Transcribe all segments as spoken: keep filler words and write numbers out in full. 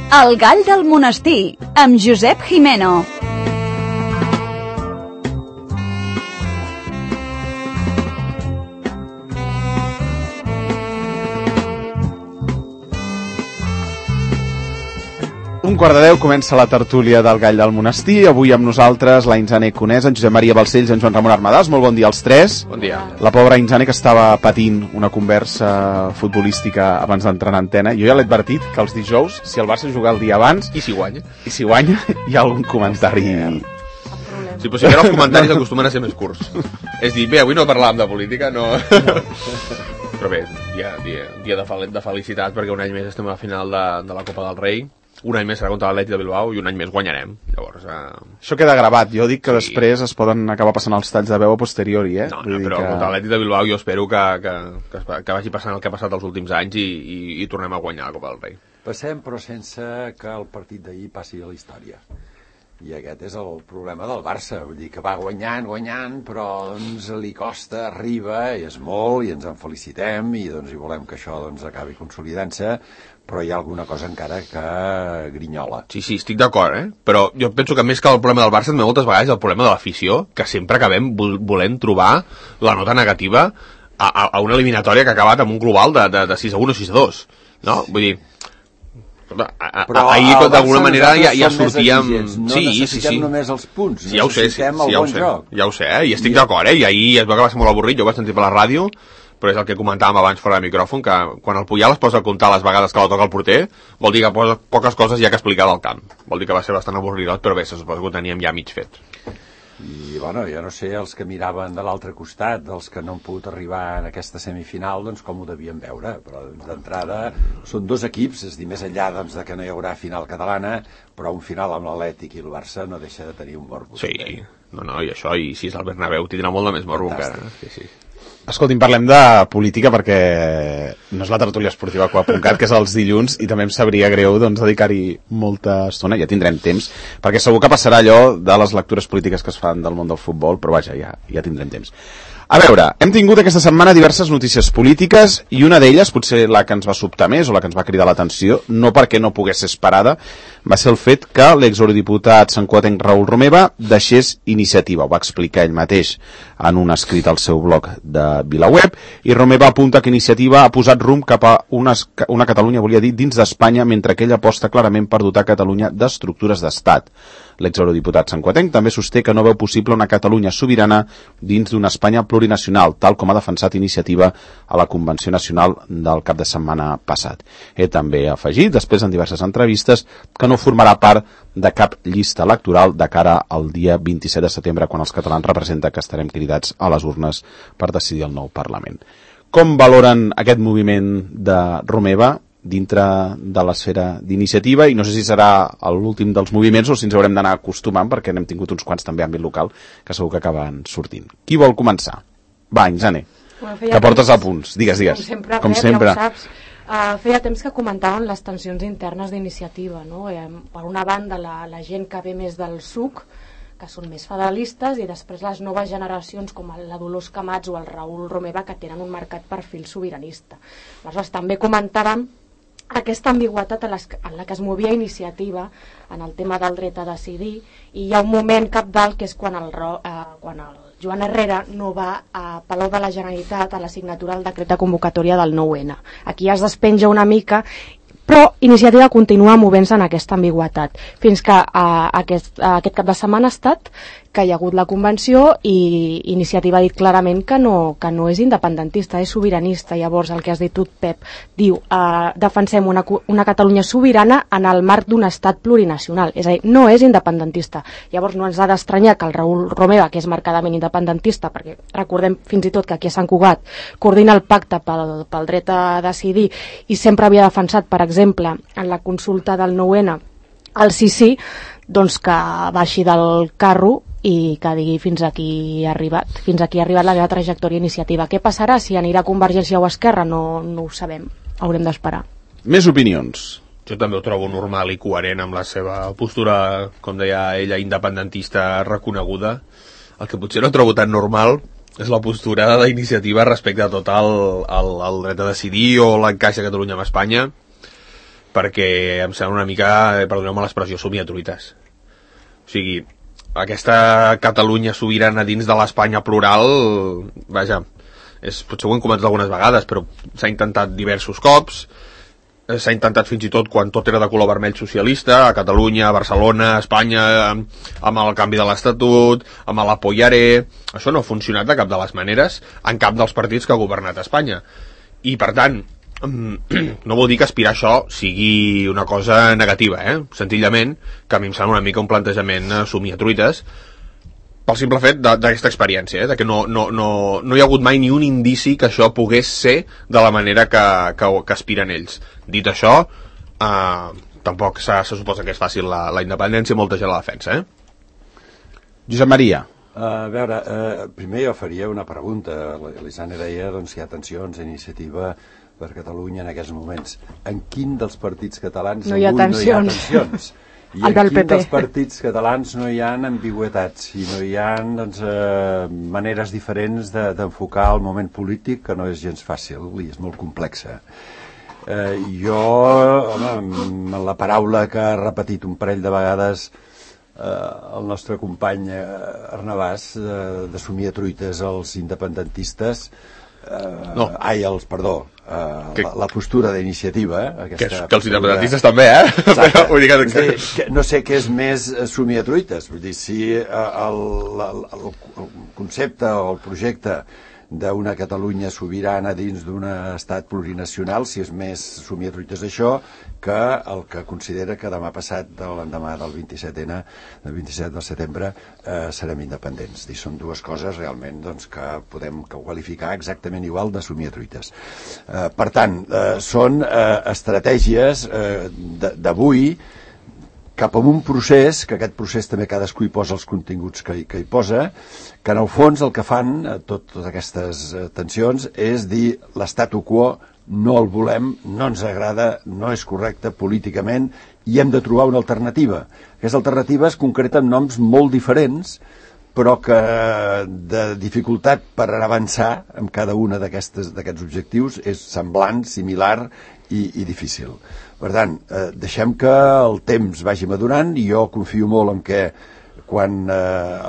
El gall del monestir, amb Josep Jimeno. Un quart de deu comença la tertúlia del Gall del Monestir. Avui amb nosaltres la Insane Conés, en Josep Maria Balcells i en Joan Ramon Armadàs. Molt bon dia als tres. Bon dia. La pobra Insane, que estava patint una conversa futbolística abans d'entrar en antena. Jo ja l'he advertit que els dijous, si el Barça juga el dia abans... I si guanya? I si guanya, hi ha algun comentari... Sí, però si ara els comentaris acostumen a ser més curts. És dir, bé, avui no parlàvem de política, no... Però bé, dia, dia, dia de, fel de felicitat, perquè un any més estem a la final de, de la Copa del Rei. Un any més serà contra l'Atlètic de Bilbao i un any més guanyarem. Llavors, eh... Això queda gravat. Jo dic que sí. Després es poden acabar passant els talls de veu a posteriori, eh? No, no, però que... contra l'Atlètic de Bilbao jo espero que, que, que, que vagi passant el que ha passat els últims anys i, i, i tornem a guanyar la Copa del Rei. Passem, però sense que el partit d'ahir passi a la història. I aquest és el problema del Barça. Vull dir que va guanyant, guanyant, però doncs li costa, arriba, i és molt, i ens en felicitem, i doncs i volem que això doncs, acabi consolidant-se, però hi ha alguna cosa encara que grinyola. Sí, sí, estic d'acord, eh? Però jo penso que més que el problema del Barça, també moltes vegades el problema de l'afició, que sempre acabem volent trobar la nota negativa a, a, a una eliminatòria que ha acabat amb un global de, de, de sis a un o sis a dos, no? Vull dir... A, a, ahir d'alguna manera ja, ja sortíem... No sí, necessitem sí, sí. només els punts, sí, ja ho sé, sí, necessitem sí, el ja bon sé, joc. Ja ho sé, eh? I estic I... d'acord, eh? I ahir es veu que va ser molt avorrit, jo ho vaig sentir per la ràdio, però és el que comentàvem abans fora de micròfon, que quan el Puyal es posa a comptar les vegades que la toca el porter, vol dir que posa poques coses ja que explicar del camp. Vol dir que va ser bastant avorridot, però bé, se suposa que ho teníem ja mig fet. I, bueno, jo no sé, els que miraven de l'altre costat, els que no han pogut arribar en aquesta semifinal, doncs com ho devien veure, però d'entrada són dos equips, és dir, més enllà doncs, de que no hi haurà final catalana, però un final amb l'Atlètic i el Barça no deixa de tenir un morbo. Sí, eh? no, no, i això, i si és el Bernabéu, tindrà molt de més morbo encara. Sí, sí. Escolti'm, parlem de política perquè no és la tertúlia esportiva Q A punt cat, que és els dilluns, i també em sabria greu doncs, dedicar-hi molta estona, ja tindrem temps, perquè segur que passarà allò de les lectures polítiques que es fan del món del futbol, però vaja, ja, ja tindrem temps. A veure, hem tingut aquesta setmana diverses notícies polítiques i una d'elles, potser la que ens va sobtar més o la que ens va cridar l'atenció, no perquè no pogués ser esperada, va ser el fet que l'exeurodiputat santcugatenc Raül Romeva deixés Iniciativa. Ho va explicar ell mateix en un escrit al seu blog de VilaWeb, i Romeva apunta que Iniciativa ha posat rumb cap a una, una Catalunya, volia dir, dins d'Espanya, mentre que ell aposta clarament per dotar Catalunya d'estructures d'estat. L'exeurodiputat santcugatenc també sosté que no veu possible una Catalunya sobirana dins d'una Espanya plurinacional, tal com ha defensat Iniciativa a la Convenció Nacional del cap de setmana passat. Ell també ha afegit, després en diverses entrevistes, que no formarà part de cap llista electoral de cara al dia vint-i-set de setembre, quan els catalans representa que estarem cridats a les urnes per decidir el nou Parlament. Com valoren aquest moviment de Romeva dintre de l'esfera d'Iniciativa, i no sé si serà l'últim dels moviments o si ens haurem d'anar acostumant, perquè n'hem tingut uns quants també a àmbit local que segur que acaben sortint. Qui vol començar? Va, Insane, bueno, que portes a punts. Digues, digues. Com sempre, com Pep, sempre. ja ho saps. Uh, feia temps que comentaven les tensions internes d'Iniciativa, no? Eh, per una banda, la, la gent que ve més del S U C, que són més federalistes, i després les noves generacions com la Dolors Camats o el Raül Romeva, que tenen un marcat perfil sobiranista. Aleshores, també comentàvem aquesta ambigüetat en, les, en la que es movia Iniciativa en el tema del dret a decidir, i hi ha un moment capdalt que és quan el, eh, quan el Joan Herrera no va a Palau de la Generalitat a la signatura del decret de convocatòria del nou ene. Aquí ja es despenja una mica, però Iniciativa continua movent-se en aquesta ambigüetat, fins que a, aquest, a aquest cap de setmana ha estat que hi ha hagut la convenció i Iniciativa ha dit clarament que no, que no és independentista, és sobiranista. Llavors el que has dit tu, Pep, diu eh, defensem una, una Catalunya sobirana en el marc d'un estat plurinacional, és a dir, no és independentista. Llavors no ens ha d'estranyar que el Raül Romeva, que és marcadament independentista, perquè recordem fins i tot que aquí a Sant Cugat coordina el pacte pel, pel dret a decidir i sempre havia defensat, per exemple, en la consulta del nou ene el sí sí, doncs que baixi del carro i que digui fins aquí ha arribat, fins aquí ha arribat la meva trajectòria Iniciativa. Què passarà si anirà a Convergència o a Esquerra? No, no ho sabem, haurem d'esperar. Més opinions. Jo també ho trobo normal i coherent amb la seva postura, com deia ella, independentista reconeguda. El que potser no trobo tan normal és la postura d'Iniciativa respecte a tot el, el, el dret a decidir o l'encaix de Catalunya amb Espanya, perquè em sembla una mica, perdoneu-me l'expressió, somiatruites. O sigui, aquesta Catalunya sobirana dins de l'Espanya plural, vaja, és, potser ho hem comentat algunes vegades, però s'ha intentat diversos cops, s'ha intentat fins i tot quan tot era de color vermell socialista, a Catalunya, a Barcelona, a Espanya, amb el canvi de l'Estatut, amb l'Apoyaré. Això no ha funcionat de cap de les maneres en cap dels partits que ha governat Espanya. I, per tant, no vol dir que aspirar a això sigui una cosa negativa, eh? Senzillament, que a mi em sembla una mica un plantejament somiatruites, pel simple fet d'aquesta experiència, eh? De que no, no, no, no hi ha hagut mai ni un indici que això pogués ser de la manera que, que, que aspiren ells. Dit això, eh, tampoc se, se suposa que és fàcil la, la independència, molta gent la defensa, eh? Josep Maria. Uh, a veure, uh, primer jo faria una pregunta. L'Isane deia doncs, que hi ha tensions, iniciativa per Catalunya en aquests moments. En quin dels partits catalans no hi ha avui tensions? No hi ha tensions? I en quin dels partits catalans no hi ha ambigüetats i no hi ha doncs, eh, maneres diferents d'enfocar de, el moment polític, que no és gens fàcil i és molt complexa. Eh, jo, home, la paraula que ha repetit un parell de vegades eh, el nostre company eh, Arnabàs, de, de somiatruites als independentistes, Uh, no. ai, els, perdó, uh, que, la, la postura d'iniciativa, eh? Que, que els independentistes també, eh? Però, vull dir que... que, que no sé què és més somiatruites, vull dir, si uh, el, el, el, el concepte o el projecte d'una Catalunya sobirana dins d'un estat plurinacional, si és més somiatruites això que el que considera que demà passat, de l'endemà del vint-i-set ene, del vint-i-set de setembre, eh, serem independents. I són dues coses realment doncs, que podem qualificar exactament igual de somiatruites. Eh, per tant, eh, són eh, estratègies eh, d'avui cap a un procés, que aquest procés també cadascú hi posa els continguts que, que hi posa, que en el fons el que fan, tot, totes aquestes tensions, és dir l'statu quo no el volem, no ens agrada, no és correcte políticament i hem de trobar una alternativa. Aquesta alternativa es concreta amb noms molt diferents, però que de dificultat per avançar en cada una d'aquests objectius és semblant, similar i, i difícil. Per tant, eh, deixem que el temps vagi madurant i jo confio molt en que quan eh,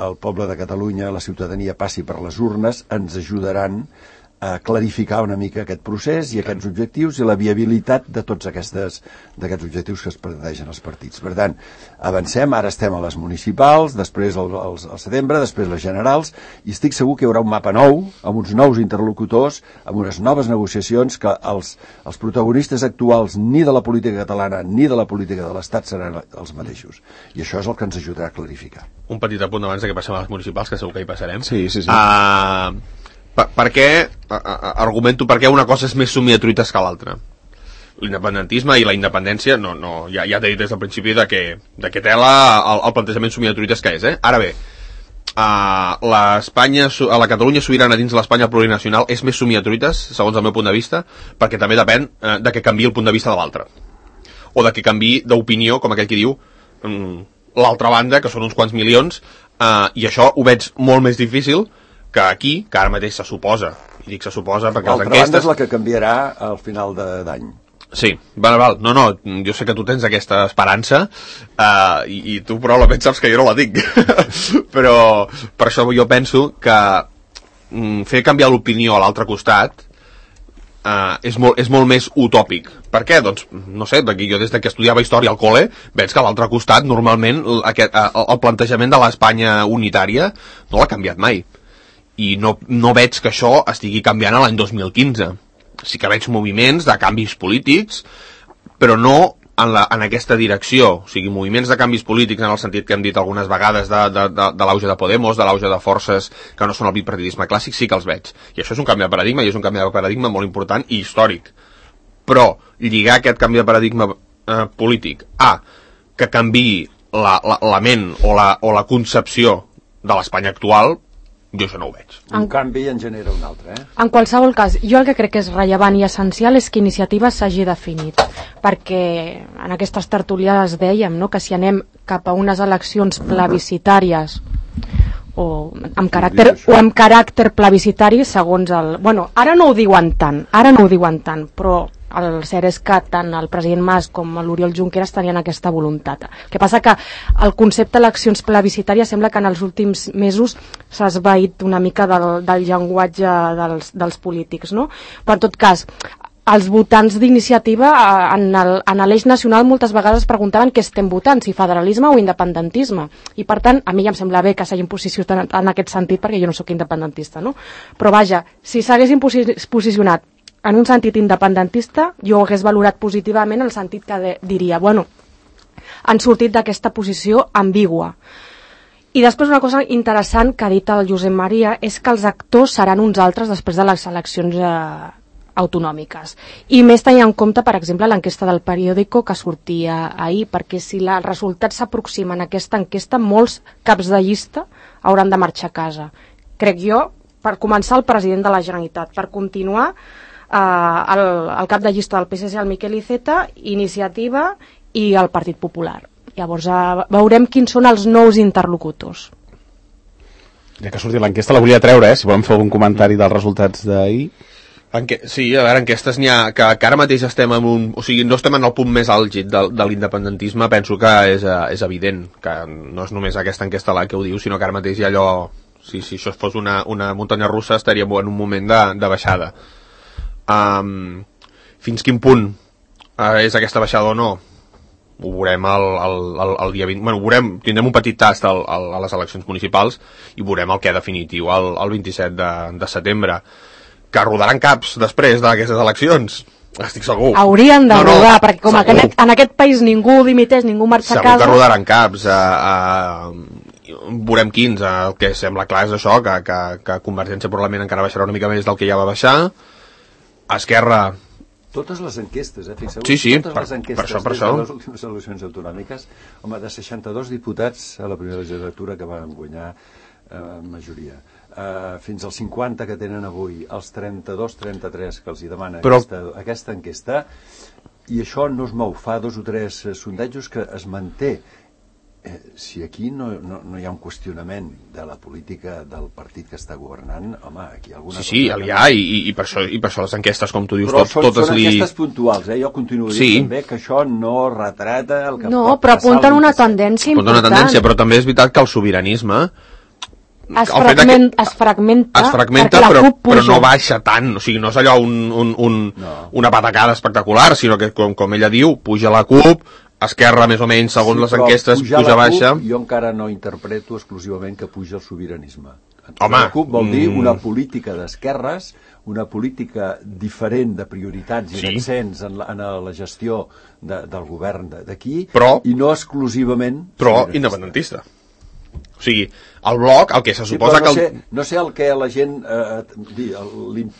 el poble de Catalunya, la ciutadania passi per les urnes, ens ajudaran a clarificar una mica aquest procés i aquests objectius i la viabilitat de tots aquestes, d'aquests objectius que es plantegen els partits. Per tant, avancem, ara estem a les municipals, després al, al, al setembre, després les generals, i estic segur que hi haurà un mapa nou, amb uns nous interlocutors, amb unes noves negociacions que els, els protagonistes actuals ni de la política catalana ni de la política de l'Estat seran els mateixos. I això és el que ens ajudarà a clarificar. Un petit apunt abans que passem a les municipals, que segur que hi passarem. Sí, sí, sí. Uh... Per, per què, a, a, argumento per què una cosa és més somiatruites que l'altra. L'independentisme i la independència, no, no, ja, ja t'he dit des del principi de que, de que tela el, el plantejament somiatruites que és, eh? Ara bé, uh, l'Espanya, a la Catalunya sobirana dins l'Espanya plurinacional és més somiatruites, segons el meu punt de vista, perquè també depèn uh, de que canviï el punt de vista de l'altre. O de que canviï d'opinió, com aquell que diu, um, l'altra banda, que són uns quants milions, uh, i això ho veig molt més difícil que aquí, que ara mateix se suposa, i dic se suposa perquè les enquestes... L'altra banda és la que canviarà al final d'any. Sí, val, val, no, no, jo sé que tu tens aquesta esperança, uh, i, i tu probablement saps que jo no la tinc, però per això jo penso que mm, fer canviar l'opinió a l'altre costat uh, és, molt, és molt més utòpic. Per què? Doncs, no sé, perquè jo des que estudiava història al col·le veig que a l'altre costat normalment aquest, uh, el plantejament de l'Espanya unitària no l'ha canviat mai. I no, no veig que això estigui canviant a l'any dos mil quinze. Sí que veig moviments de canvis polítics, però no en, la, en aquesta direcció. O sigui, moviments de canvis polítics en el sentit que hem dit algunes vegades de, de, de, de l'auge de Podemos, de l'auge de forces que no són el bipartidisme clàssic, sí que els veig. I això és un canvi de paradigma, i és un canvi de paradigma molt important i històric. Però lligar aquest canvi de paradigma eh, polític a que canviï la, la, la ment o la, o la concepció de l'Espanya actual, jo això no ho veig. Un canvi en genera un altre, eh? En qualsevol cas, jo el que crec que és rellevant i essencial és que Iniciativa s'hagi definit, perquè en aquestes tertuliades dèiem, no?, que si anem cap a unes eleccions plebiscitàries o amb caràcter, o amb caràcter plebiscitari segons el... Bueno, ara no ho diuen tant, ara no ho diuen tant, però el cert és que tant el president Mas com l'Oriol Junqueras tenien aquesta voluntat. El que passa que el concepte d'eleccions plebiscitàries sembla que en els últims mesos s'ha esvaït una mica del, del llenguatge dels, dels polítics, no? Però en tot cas, els votants d'iniciativa en el- en l'eix nacional moltes vegades preguntaven què estem votant, si federalisme o independentisme, i per tant a mi ja em sembla bé que s'hagin posicionat en aquest sentit perquè jo no sóc independentista, no? Però vaja, si s'haguessin posi- posicionat en un sentit independentista, jo ho hagués valorat positivament en el sentit que de, diria, bueno, han sortit d'aquesta posició ambigua. I després una cosa interessant que ha dit el Josep Maria és que els actors seran uns altres després de les eleccions eh, autonòmiques. I més tenint en compte, per exemple, l'enquesta del periòdico que sortia ahir, perquè si la- els resultats s'aproximen a aquesta enquesta, molts caps de llista hauran de marxar a casa. Crec jo, per començar, el president de la Generalitat, per continuar eh, el, el cap de llista del P S C, el Miquel Iceta, Iniciativa i el Partit Popular. Llavors eh, veurem quins són els nous interlocutors. Ja que ha sortit l'enquesta, la volia treure, eh? Si volem fer algun comentari dels resultats d'ahir. Enque... Sí, a veure, enquestes n'hi ha que, que ara mateix estem en un... O sigui, no estem en el punt més àlgid de, de l'independentisme, penso que és, eh, és evident, que no és només aquesta enquesta la que ho diu, sinó que ara mateix hi ha allò... Si, si això fos una, una muntanya russa estaríem en un moment de, de baixada. Um, fins quin punt uh, és aquesta baixada o no? Ho veurem el, el, el, el dia vint... Bueno, ho veurem, tindrem un petit tast al, al, a les eleccions municipals i veurem el que definitiu el, el vint-i-set de, de setembre. Que rodaran caps després d'aquestes eleccions, estic segur. Haurien de No, no, rodar, perquè com que segur. en, en aquest país ningú dimiteix, ningú marxa a Segur casa... que rodaran caps. A, a, veurem quins. El que sembla clar és això, que, que, que Convergència probablement encara baixarà una mica més del que ja va baixar. Esquerra... Totes les enquestes, eh? Fixeu, Sí, sí, totes per- les enquestes per això, per des això. de les últimes eleccions autonòmiques, home, de seixanta-dos diputats a la primera legislatura que van guanyar eh, majoria. Uh, fins als cinquanta que tenen avui, els trenta-dos trenta-tres que els hi demana Però- aquesta, aquesta enquesta, i això no es mou, fa dos o tres eh, sondejos que es manté. Eh, si aquí no, no, no hi ha un qüestionament de la política del partit que està governant, home, aquí alguna Sí, sí, cosa... hi ha, i, i, i, per això, i per això les enquestes, com tu dius, Però tot, són, totes són li... enquestes puntuals, eh? Jo continuo dient Sí. també que això no retrata el que No, pot però passar apunten el una vint-i-set. tendència Apunta important. una tendència, però també és veritat que el sobiranisme Es, el fet fragment, que- es fragmenta, es fragmenta, perquè la però, CUP puja. però no baixa tant, o sigui, no és allò un, un, un, No. una patacada espectacular, sinó que, com, com ella diu, puja la CUP, Esquerra, més o menys, segons les però enquestes, pujar puja la baixa. CUP, jo encara no interpreto exclusivament que puja el sobiranisme. Home, la CUP vol dir mm. una política d'esquerres, una política diferent de prioritats i Sí. d'accents en, la, en la gestió de, del govern de- d'aquí, Però- i no exclusivament Però sobiranista. independentista. O sigui, el bloc, el que se Sí, suposa però no, que... sé, El... no sé el que la gent eh, di- el- l'im-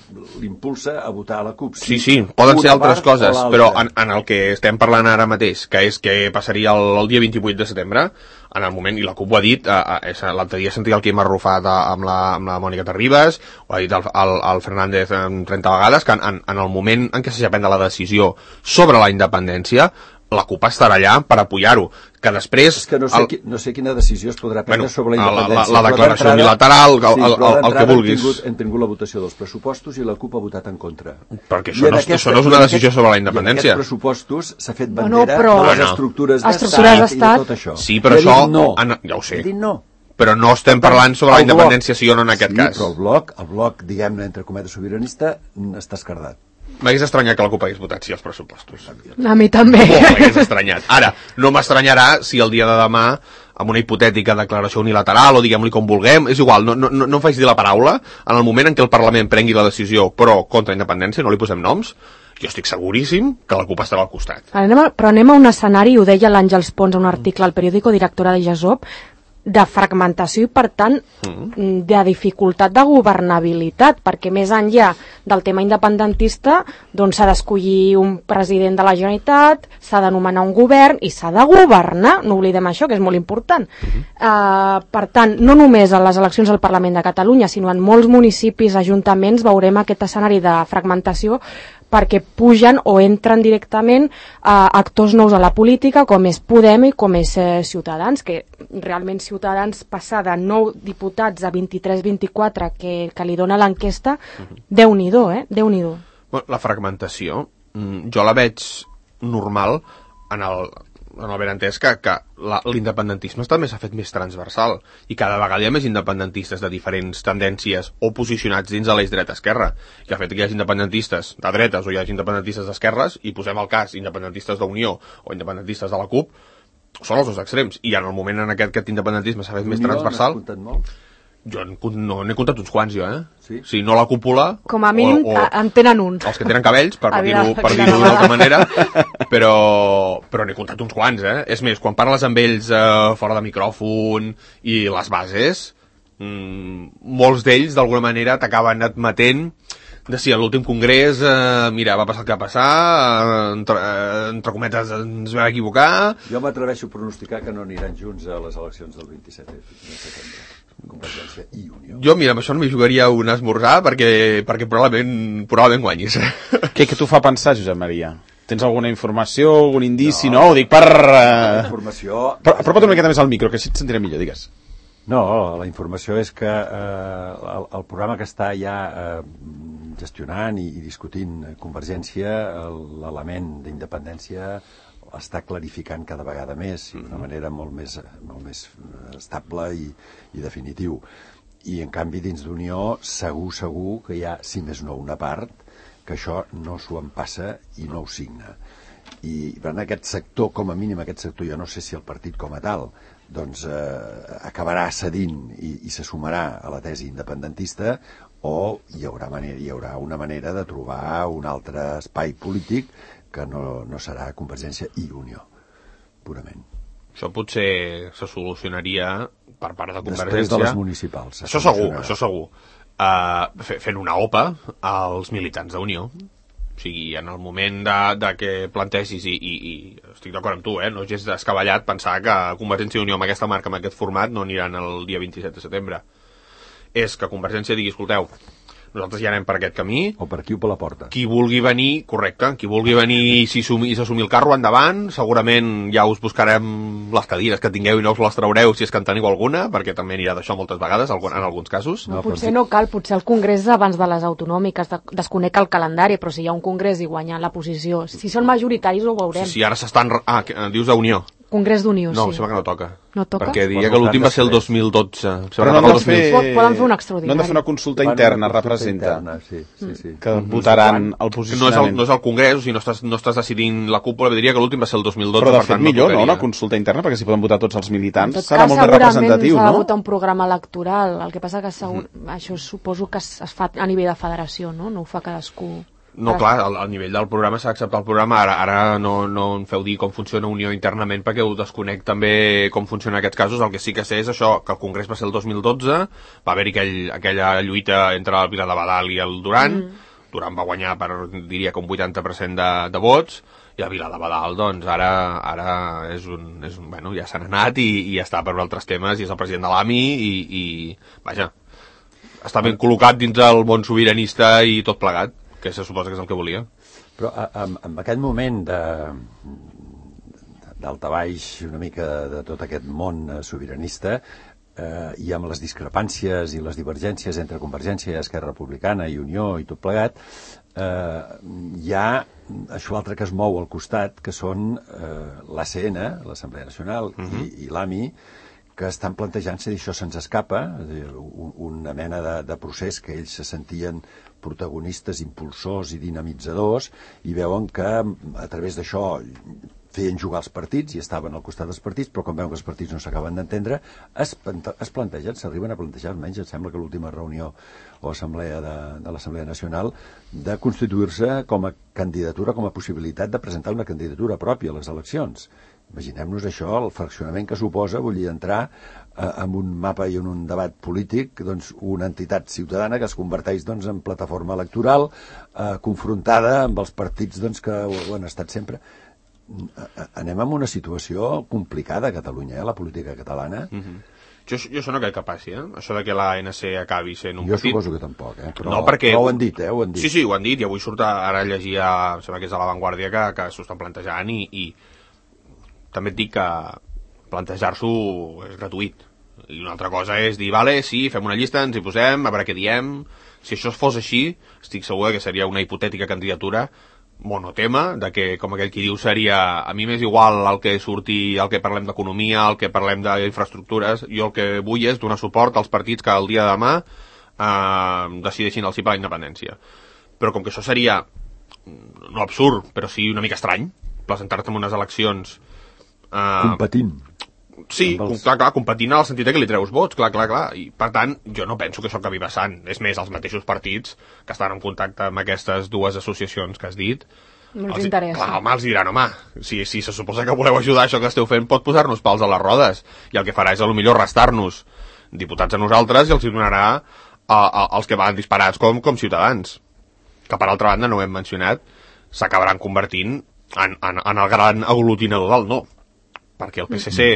l'impulsa a votar a la CUP. Sí, sí, poden ser una altres part o coses, l'altra. però en, en el que estem parlant ara mateix, que és que passaria el, el dia vint-i-vuit de setembre, en el moment, i la CUP ho ha dit, eh, eh, l'altre dia sentia el Quim Arrufat eh, amb, la, amb la Mònica Terribas, ho ha dit el, el, el Fernández eh, trenta vegades, que en, en, en el moment en què s'ha de prendre la decisió sobre la independència, la CUP estarà allà per apoyar-ho, que després... És que no sé, el, qui, no sé quina decisió es podrà prendre Bueno, sobre la la- la- independència. la però declaració d'entrada- unilateral, el- sí, el- però el- el que d'entrada vulguis. Hem tingut, hem tingut la votació dels pressupostos i la CUP ha votat en contra. Perquè I això en no, és- això no és i una en decisió sobre la i en independència. aquests pressupostos s'ha fet Bueno, bandera però- de les Bueno. estructures Estructures d'estat i d'estat. de tot això. Sí, però I ha dit això- No. en- ja ho sé. Ha dit no. Però no estem parlant sobre la El bloc- independència, sí o no, en aquest sí, cas. però el bloc, el bloc, diguem-ne, entre cometes sobiranista, mm, està escardat. M'hagués estranyat que la CUP hagués votat sí als pressupostos. A mi també. Molt m'hagués estranyat. Ara, no m'estranyarà si el dia de demà, amb una hipotètica declaració unilateral, o diguem-li com vulguem, és igual, no, no, no em faig dir la paraula, en el moment en què el Parlament prengui la decisió pro contra independència, no li posem noms, jo estic seguríssim que la CUP estarà al costat. Anem a, però anem a un escenari, ho deia l'Àngels Pons en un article al periòdico, directora de GESOP, de fragmentació i, per tant, mm. de dificultat de governabilitat, perquè més enllà del tema independentista, doncs s'ha d'escollir un president de la Generalitat, s'ha de nomenar un govern i s'ha de governar, no oblidem això, que és molt important. Uh-huh. Uh, per tant, no només a les eleccions al Parlament de Catalunya, sinó en molts municipis, ajuntaments, veurem aquest escenari de fragmentació perquè pugen o entren directament a actors nous a la política, com és Podem i com és eh, Ciutadans, que realment Ciutadans passar de nou diputats a vint-i-tres vint-i-quatre que, que li dona l'enquesta, Déu-n'hi-do, eh? Déu-n'hi-do. Bueno, la fragmentació jo la veig normal en el, en el benentès que, que la, l'independentisme també s'ha fet més transversal i cada vegada hi ha més independentistes de diferents tendències o posicionats dins de l'eix dreta-esquerra, i el fet que hi hagi independentistes de dretes o hi hagi independentistes d'esquerres, i posem el cas independentistes d'Unió o independentistes de la CUP, són els dos extrems, i en el moment en aquest, aquest independentisme s'ha fet més transversal. N'has comptat molt? Jo no n'he comptat uns quants, jo, eh? Sí? Sí, no la cúpula... Com a mínim o, o en tenen un. Els que tenen cabells, per, per dir-ho per dir d'una altra manera, però, però n'he comptat uns quants, eh? És més, quan parles amb ells eh, fora de micròfon i les bases, mmm, molts d'ells, d'alguna manera, t'acaben admetent de si a l'últim congrés, eh, mira, va passar el que va passar, eh, entre, eh, entre cometes ens vam equivocar... Jo m'atreveixo a pronosticar que no aniran junts a les eleccions del vint-i-set de setembre. Convergència i Unió. Jo, mira, amb això no m'hi jugaria un esmorzar perquè, perquè probablement, probablement guanyis. Què, què t'ho fa pensar, Josep Maria? Tens alguna informació, algun indici? No, no ho dic per... Uh... Informació... Però, apropa't una miqueta més al micro, que així et sentiré millor, digues. No, la informació és que eh, el, el programa que està ja eh, gestionant i, i discutint Convergència, l'element d'independència està clarificant cada vegada més i d'una manera molt més, molt més estable i, i definitiu. I, en canvi, dins d'Unió, segur, segur que hi ha, si més no, una part que això no s'ho empassa i no ho signa. I per tant, aquest sector, com a mínim aquest sector, jo no sé si el partit com a tal, doncs eh, acabarà cedint i, i se sumarà a la tesi independentista, o hi haurà, manera, hi haurà una manera de trobar un altre espai polític que no, no serà Convergència i Unió, purament. Això potser se solucionaria per part de Convergència... Després de les municipals. Això segur, això segur. Uh, fent una OPA als militants d'Unió. O sigui, en el moment de, de que plantegis, i, i, i estic d'acord amb tu, eh, no és gens descabellat pensar que Convergència i Unió amb aquesta marca, amb aquest format, no aniran el dia vint-i-set de setembre. És que Convergència digui, escolteu, nosaltres ja anem per aquest camí. O per aquí o per la porta. Qui vulgui venir, correcte, qui vulgui venir i s'assumir el carro endavant, segurament ja us buscarem les cadires que tingueu i no us les traureu si és que en teniu alguna, perquè també anirà d'això moltes vegades, en alguns casos. No, potser no cal, potser el congrés abans de les autonòmiques, de, desconec el calendari, però si hi ha un congrés i guanya la posició, si són majoritaris ho veurem. Sí, sí, ara s'estan... Ah, dius d'Unió. Congrés d'Unió, no, sí. em sembla que no toca. No toca? Perquè diria que l'últim va ser el dos mil dotze. Però no han de fer... Poden fer un extraordinari. No han de fer una consulta interna, una representa. Interna, sí, sí, sí. Que votaran el posicionament. No és el, no és el congrés, o sigui, no estàs, no estàs decidint la cúpula, diria que l'últim va ser el dos mil dotze. Però de per fet tant, millor, no, no? Una consulta interna, perquè si poden votar tots els militants, en tot serà cas, molt més representatiu, s'ha no? de votar un programa electoral. El que passa que segur, mm. això suposo que es, es fa a nivell de federació, no? No ho fa cadascú. No, clar, al, al nivell del programa s'ha d'acceptar el programa, ara, ara no, no em feu dir com funciona Unió internament perquè ho desconec també com funciona en aquests casos. El que sí que sé és això, que el congrés va ser el dos mil dotze, va haver-hi aquell, aquella lluita entre el Vila de Badal i el Duran, mm. Duran va guanyar per, diria que un vuitanta per cent de, de vots, i el Vila de Badal, doncs, ara, ara és un, és un, bueno, ja s'han anat i, i està per altres temes, i és el president de l'A M I, i, i vaja, està ben col·locat dins el món sobiranista i tot plegat, que se suposa que és el que volia. Però en, en aquest moment de d'altabaix una mica de tot aquest món sobiranista eh, i amb les discrepàncies i les divergències entre Convergència, Esquerra Republicana i Unió i tot plegat, eh, hi ha això altre que es mou al costat, que són eh, l'A C N, l'Assemblea Nacional, uh-huh. i, i l'A M I, que estan plantejant-se, i això se'ns escapa, una mena de, de procés que ells se sentien protagonistes, impulsors i dinamitzadors, i veuen que a través d'això feien jugar els partits i estaven al costat dels partits, però quan veuen que els partits no s'acaben d'entendre, es, es plantegen, s'arriben a plantejar, almenys em sembla que l'última reunió o assemblea de, de l'Assemblea Nacional, de constituir-se com a candidatura, com a possibilitat de presentar una candidatura pròpia a les eleccions. Imaginem-nos això, el fraccionament que suposa, vull dir, entrar eh, en un mapa i en un debat polític, doncs, una entitat ciutadana que es converteix doncs, en plataforma electoral, eh, confrontada amb els partits doncs, que ho, ho han estat sempre. Anem en una situació complicada a Catalunya, eh, la política catalana. Mm-hmm. Jo, jo això no crec que passi, eh? Això de que l'A N C acabi sent un jo partit... Jo suposo que tampoc, eh? Però, no, perquè... però ho han dit, eh? Ho han dit. Sí, sí, ho han dit, i avui surt ara llegia, em sembla que és de La Vanguardia, que, que s'ho estan plantejant, i, i també et dic que plantejar-s'ho és gratuït. I una altra cosa és dir, vale, sí, fem una llista, ens hi posem, a veure què diem. Si això fos així, estic segur que seria una hipotètica candidatura monotema, de que, com aquell qui diu, seria a mi m'és igual el que surti, el que parlem d'economia, el que parlem d'infraestructures, jo el que vull és donar suport als partits que el dia de demà eh, decideixin el sí per la independència. Però com que això seria, no absurd, però sí una mica estrany, presentar-te en unes eleccions... Eh, competint. Sí, els... clar, clar, competint en el sentit que li treus vots, clar, clar, clar. I, per tant, jo no penso que això acabi passant. És més, els mateixos partits que estan en contacte amb aquestes dues associacions que has dit... No els els, interessa. Clar, home, els diran, home, si, si se suposa que voleu ajudar això que esteu fent, pot posar-nos pals a les rodes. I el que farà és, a lo millor, restar-nos diputats a nosaltres i els hi donarà a, a, als que van disparats com, com ciutadans. Que, per altra banda, no ho hem mencionat, s'acabaran convertint en, en, en el gran aglutinador del no. Perquè el P S C...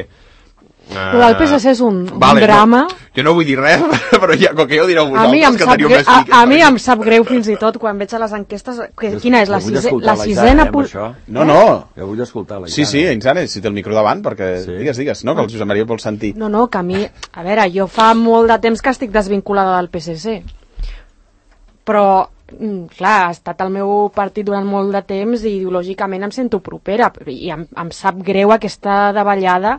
Uh, el P S C és un, vale, un drama. No, jo no vull dir res, però ja, com que jo direu vosaltres, a mi em que sap teniu greu, més a, fiques, a mi em sap greu fins i tot quan veig a les enquestes que, quina és la, sise, la sisena... Eh, no, no. Jo vull escoltar la Sí, sí, Insane, si té el micro davant, perquè sí. digues, digues, no, que el Josep Maria vol sentir. No, no, que a mi... A veure, jo fa molt de temps que estic desvinculada del P S C, però... clar, ha estat el meu partit durant molt de temps i ideològicament em sento propera i em, em sap greu aquesta davallada.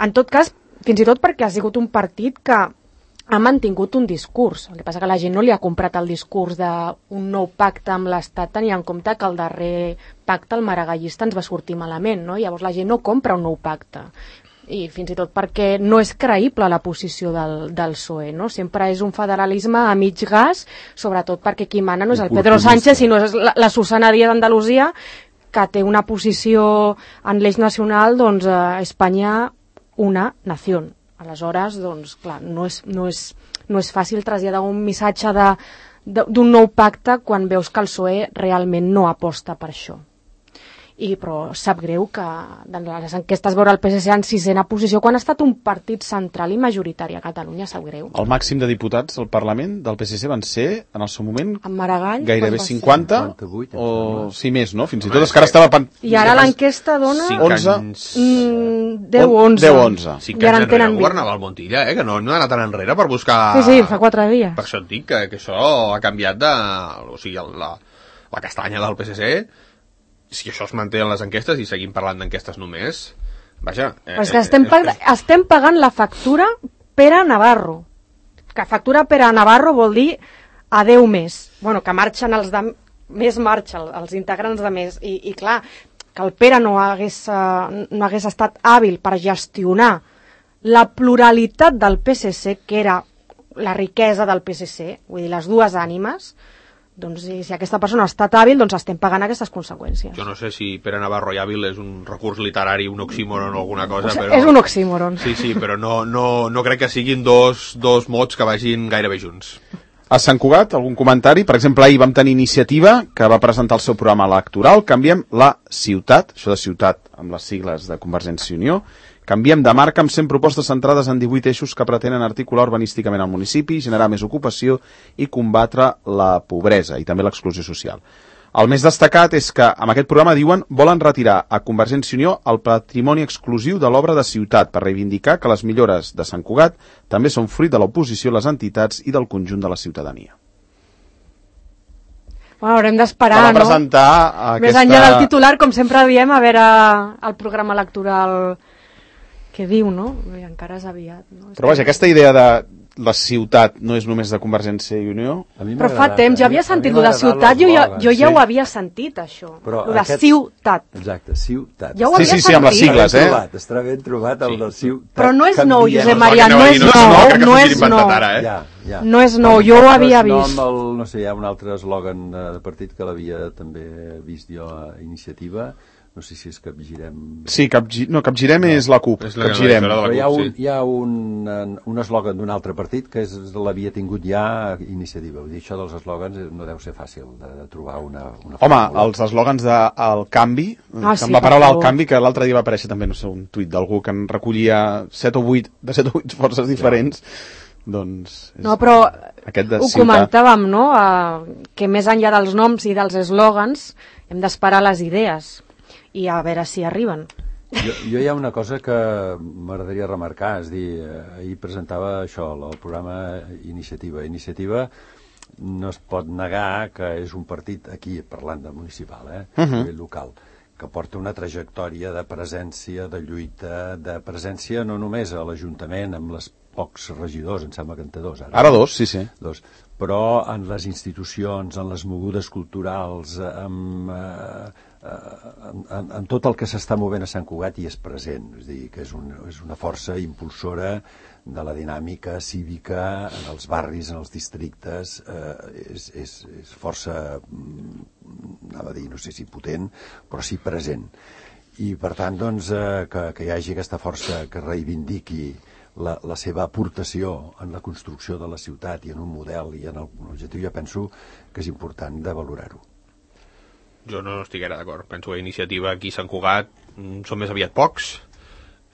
En tot cas, fins i tot perquè ha sigut un partit que ha mantingut un discurs. El que passa que la gent no li ha comprat el discurs d'un nou pacte amb l'Estat, tenint en compte que el darrer pacte, el maragallista, ens va sortir malament, no? Llavors la gent no compra un nou pacte. I fins i tot perquè no és creïble la posició del, del P S O E, no? Sempre és un federalisme a mig gas, sobretot perquè qui mana no és el Pedro Sánchez, sinó és la, la Susana Díaz d'Andalusia, que té una posició en l'eix nacional, doncs, eh, Espanya una nació. Aleshores, doncs, clar, no és, no és, no és fàcil traslladar un missatge de, de, d'un nou pacte quan veus que el P S O E realment no aposta per això. I, però sap greu que de les enquestes veure el P S C en sisena posició quan ha estat un partit central i majoritari a Catalunya, sap greu. El màxim de diputats al Parlament del P S C van ser, en el seu moment, en Maragall, gairebé cinquanta, cinquanta-vuit, o sí més, no? Fins i tot és que ara estava... Pan... I ara l'enquesta dona... onze, mm, deu onze. deu onze. Cinc anys enrere governava el Montilla, eh? Que no, no ha anat tan enrere per buscar... Sí, sí, fa quatre dies. Per això et dic que, que això ha canviat de... O sigui, la, la castanya del P S C... Si això es manté en les enquestes i seguim parlant d'enquestes només, vaja... Eh, Però és que estem, pag estem pagant la factura per a Navarro. Que factura per a Navarro vol dir a deu més. Bueno, que marxen els de... Més marxa, els integrants de més. I, i clar, que el Pere no hagués, uh, no hagués estat hàbil per gestionar la pluralitat del P S C, que era la riquesa del P S C, vull dir, les dues ànimes... doncs si, si aquesta persona ha estat hàbil, doncs estem pagant aquestes conseqüències. Jo no sé si Pere Navarro i hàbil és un recurs literari, un oxímoron o alguna cosa, o sigui, però... És un oxímoron. Sí, sí, però no, no, no crec que siguin dos, dos mots que vagin gairebé junts. A Sant Cugat, algun comentari? Per exemple, ahir vam tenir Iniciativa, que va presentar el seu programa electoral. Canviem la ciutat, això de ciutat amb les sigles de Convergència i Unió, canviem de marca amb cent propostes centrades en divuit eixos que pretenen articular urbanísticament el municipi, generar més ocupació i combatre la pobresa i també l'exclusió social. El més destacat és que amb aquest programa diuen volen retirar a Convergència i Unió el patrimoni exclusiu de l'obra de ciutat per reivindicar que les millores de Sant Cugat també són fruit de l'oposició, les entitats i del conjunt de la ciutadania. Bueno, haurem d'esperar, no? Presentar aquesta... Més enllà del titular, com sempre diem, a veure el programa electoral que diu, no? I encara és aviat. No? Però vaja, aquesta idea de la ciutat no és només de Convergència i Unió? Però fa temps, jo havia sentit lo de ciutat, jo ja, jo ja sí. ho havia sentit, això. Però lo de aquest... ciutat. Exacte, ciutat. Ja ho havia sí, sí, sentit. sí, amb les sigles, eh? Trobat, estarà ben trobat el sí. de ciutat. Però no és Canviem. nou, Josep Maria, no, no és nou, nou, no és nou. Ara, eh? Ja, ja. No és nou, jo ho havia vist. No, el, no sé, hi ha un altre eslògan de partit que l'havia també vist jo a Iniciativa. No sé si és Capgirem... Sí, capgi... no, Capgirem no. és la CUP. És la Capgirem. Però hi ha un, hi ha un, un eslògan d'un altre partit que és, l'havia tingut ja a Iniciativa. Vull dir, això dels eslògans no deu ser fàcil de, de trobar una, una Home, fórmula. els eslògans del canvi, ah, sí, amb la paraula al canvi, que l'altre dia va aparèixer també, no sé, un tuit d'algú que en recollia set o vuit, de set o vuit forces diferents, ja. doncs... És no, però aquest de ho ciutat. comentàvem, no?, uh, que més enllà dels noms i dels eslògans hem d'esperar les idees i a veure si arriben. Jo, jo hi ha una cosa que m'agradaria remarcar, és dir, ahir presentava això, el programa Iniciativa. Iniciativa no es pot negar que és un partit, aquí parlant de municipal, eh, Uh-huh. a nivell local, que porta una trajectòria de presència, de lluita, de presència no només a l'Ajuntament amb les pocs regidors, em sembla que en té dos ara. Ara dos, sí, sí. Dos. Però en les institucions, en les mogudes culturals, amb, eh, en, en, en tot el que s'està movent a Sant Cugat hi és present. És a dir, que és, un, és una força impulsora de la dinàmica cívica en els barris, en els districtes, eh, és, és, és força, anava a dir, no sé si potent, però sí present. I per tant, doncs, eh, que, que hi hagi aquesta força que reivindiqui La, la seva aportació en la construcció de la ciutat i en un model i en l'objectiu, jo penso que és important de valorar-ho. Jo no estic ara d'acord. Penso que iniciativa aquí a Sant Cugat mm, són més aviat pocs.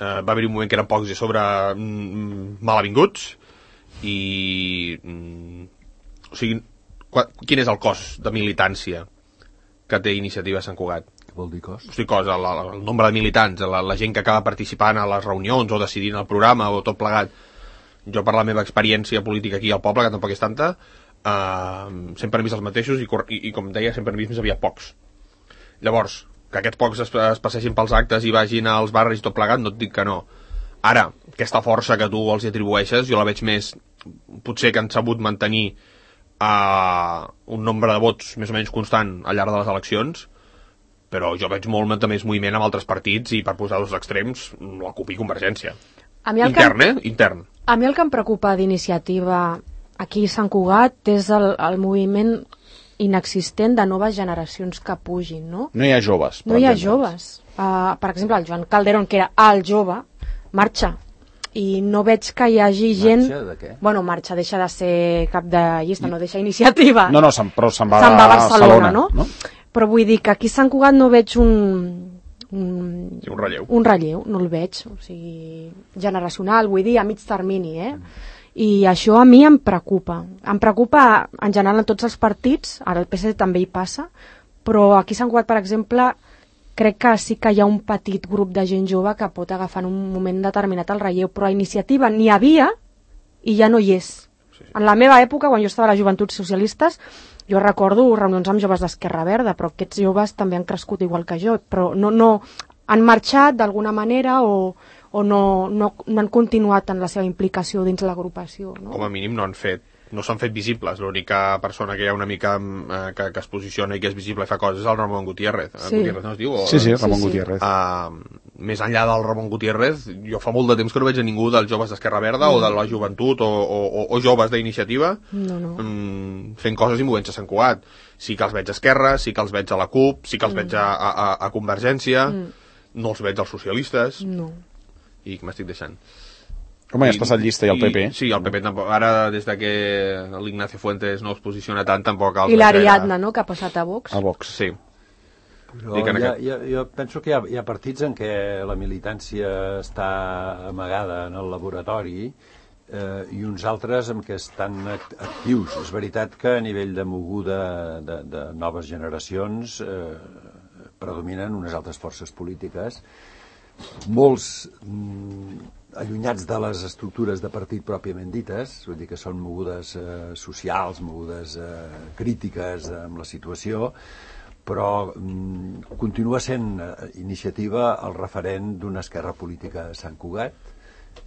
Eh, va haver un moment que eren pocs i a sobre mm, malavinguts. I... Mm, o sigui, qua, quin és el cost de militància que té iniciativa a Sant Cugat? Vol dir cos? Hosti, cosa, el, el nombre de militants, la, la gent que acaba participant a les reunions o decidint el programa o tot plegat. Jo, per la meva experiència política aquí al poble, que tampoc és tanta, eh, sempre he vist els mateixos i, i, i com deia, sempre he vist més aviat pocs. Llavors, que aquests pocs es, es passeixin pels actes i vagin als barris i tot plegat, no et dic que no. Ara, aquesta força que tu els atribueixes, jo la veig més, potser que han sabut mantenir eh, un nombre de vots més o menys constant al llarg de les eleccions, però jo veig molt més moviment amb altres partits i per posar dos extrems la C U P i Convergència. A mi el Intern, que, eh? Intern. A mi el que em preocupa d'iniciativa aquí a Sant Cugat és el, el moviment inexistent de noves generacions que pugin, no? No hi ha joves. No hi ha joves. Uh, per exemple, el Joan Calderón, que era el jove, marxa. I no veig que hi hagi gent... Marxa de què? Bueno, marxa, deixa de ser cap de llista, no deixa iniciativa. No, no, se'n, però se'n va, se'n va a Barcelona, Barcelona no? no? Però vull dir que aquí a Sant Cugat no veig un... Un, sí, un relleu. Un relleu, no el veig. O sigui, generacional, vull dir, a mig termini, eh? Mm. I això a mi em preocupa. Em preocupa en general en tots els partits, ara el P S C també hi passa, però aquí a Sant Cugat, per exemple, crec que sí que hi ha un petit grup de gent jove que pot agafar en un moment determinat el relleu, però a iniciativa n'hi havia i ja no hi és. Sí, sí. En la meva època, quan jo estava a les Joventuts Socialistes, jo recordo reunions amb joves d'Esquerra Verda, però aquests joves també han crescut igual que jo, però no, no han marxat d'alguna manera o, o no, no, no han continuat en la seva implicació dins l'agrupació. No? Com a mínim no han fet, no s'han fet visibles. L'única persona que hi ha una mica eh, que, que es posiciona i que és visible i fa coses és el Ramon Gutiérrez. Sí. Gutiérrez no es diu? O... Sí, sí, Ramon sí, sí. Gutiérrez. Uh, més enllà del Ramon Gutiérrez, jo fa molt de temps que no veig a ningú dels joves d'Esquerra Verda mm. o de la joventut o, o, o, o joves d'iniciativa no, no. mm, fent coses i movent-se a Sant Cugat. Sí que els veig a Esquerra, sí que els veig a la C U P, sí que els mm. veig a, a, a Convergència, mm. no els veig als socialistes. No. I què m'estic deixant? Home, ja has passat llista i el P P. I, sí, el P P tampoc. Ara, des de que l'Ignacio Fuentes no es posiciona tant, tampoc... I l'Ariadna, no?, que ha passat a Vox. A Vox. Sí. Però hi ha, aquest... hi ha, jo penso que hi ha, hi ha partits en què la militància està amagada en el laboratori eh, i uns altres en què estan actius. És veritat que a nivell de moguda de, de noves generacions eh, predominen unes altres forces polítiques, molts mm, allunyats de les estructures de partit pròpiament dites, vull dir que són mogudes eh, socials, mogudes eh, crítiques amb la situació, però mm, continua sent eh, iniciativa el referent d'una esquerra política a Sant Cugat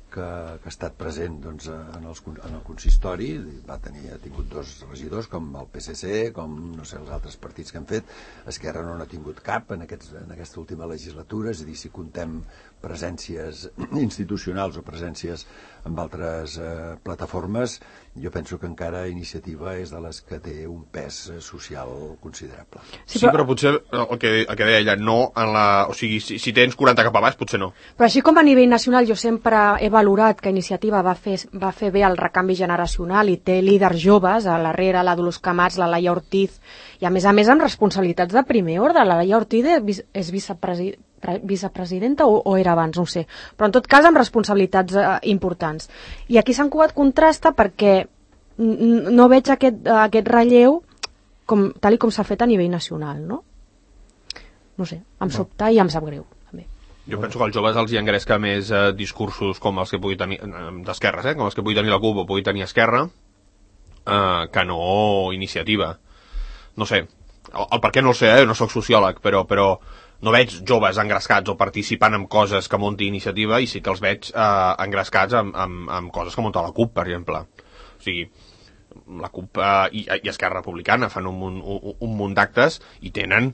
que, que ha estat present doncs, en, els, en el consistori, va tenir, ha tingut dos regidors com el P S C, com no sé, els altres partits que han fet. Esquerra no n'ha tingut cap en, aquests, en aquesta última legislatura, és a dir, si contem presències institucionals o presències amb altres eh, plataformes, jo penso que encara Iniciativa és de les que té un pes social considerable. Sí, però, sí, però potser el que, el que deia ella, no en la... O sigui, si, si tens quaranta cap a baix, potser no. Però així com a nivell nacional jo sempre he valorat que Iniciativa va fer, va fer bé el recanvi generacional i té líders joves, a l'Herrera, la Dolors Camats, la Laia Ortiz, i a més a més amb responsabilitats de primer ordre. La Laia Ortiz és vicepresidenta vicepresidenta o, o era abans, no ho sé, però en tot cas amb responsabilitats eh, importants. I aquí s'han cuat contrasta perquè no veig aquest, aquest relleu com, tal i com s'ha fet a nivell nacional, no? No sé, em sobta i em sap greu, també. Jo penso que als joves els hi engresca més eh, discursos com els que pugui tenir, eh, d'esquerres, eh, com els que pugui tenir la C U P o pugui tenir Esquerra, eh, que no iniciativa. No sé, el, el per què no el sé, eh? No sóc sociòleg, però, però no veig joves engrescats o participant en coses que munti iniciativa, i sí que els veig eh, engrescats en, en, en coses que munta la CUP, per exemple. O sigui, la CUP eh, i, i Esquerra Republicana fan un, un, un, un munt d'actes i tenen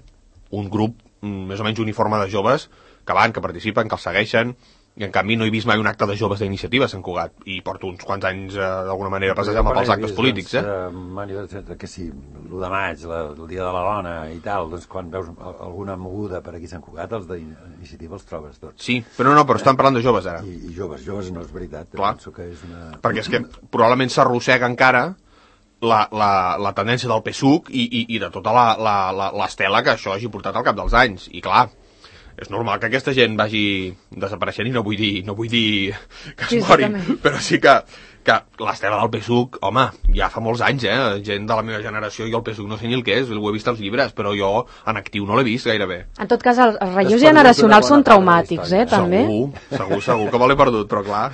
un grup mm, més o menys uniforme de joves que van, que participen, que els segueixen, i en canvi no he vist mai un acte de joves d'iniciativa a Sant Cugat, i porto uns quants anys eh, d'alguna manera passejant pels actes vist, polítics, eh? Doncs, eh que sí, l'u de maig, la, el dia de la dona i tal, doncs quan veus alguna moguda per aquí a Sant Cugat, els d'iniciativa els trobes tots. Sí, però no, però estan parlant de joves ara. I, i joves, joves no és veritat. Clar, penso que és una... perquè és que probablement s'arrossega encara la, la, la tendència del P S U C i, i, i de tota l'estela que això hagi portat al cap dels anys, i clar, és normal que aquesta gent vagi desapareixent, i no vull dir, no vull dir que es mori, però sí que, que l'estela del P S U C, home, ja fa molts anys, eh? Gent de la meva generació, jo el P S U C no sé ni el que és, ho he vist als llibres, però jo en actiu no l'he vist gairebé. En tot cas, els, els relleus generacionals són traumàtics, eh, també? Segur, segur, segur que me l'he perdut, però clar...